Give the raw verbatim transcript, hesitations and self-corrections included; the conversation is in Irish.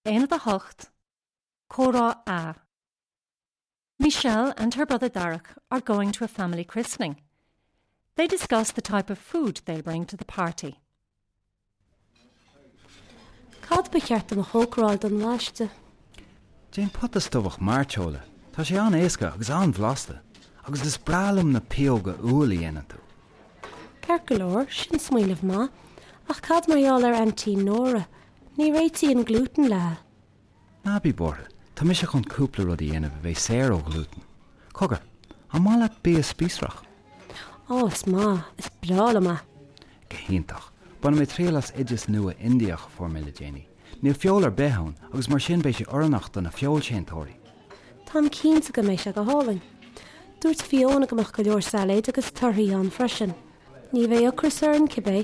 Aonad a hocht, Comhrá A. Michelle and her brother Darach are going to a family christening. They discuss the type of food they'll bring to the party. Cad ba cheart dom a chócaráil don bhaisteadh? Déan pota stobhach mairteola, Tá sé an-éasca agus an-bhlasta, agus is breá liom na pióga úll a dhéanann tú. Ceart go leor, sin smaoineamh maith, ach cad mar gheall ar Aintín Nóra, ní réitíonn glútan léi. Ná bí buartha, tá mise chun cúpla rud a dhéanamh a bheidh saor ó ghlútan. Cogar, an maith leat bia spíosrach? Ó is maith, is breá liom é. Go hiontach, Bainfidh mé triail as oideas nua Indiach a fuair mé le déanaí. Níl feoil ar bith ann agus mar sin beidh sé oiriúnach do na feoilséantóirí. Táim cinnte go mbeidh sé go hálainn. Dúirt Fiona go mbeadh go leor sailéid agus torthaí ann freisin. Ní bheidh ocras orainn cibé.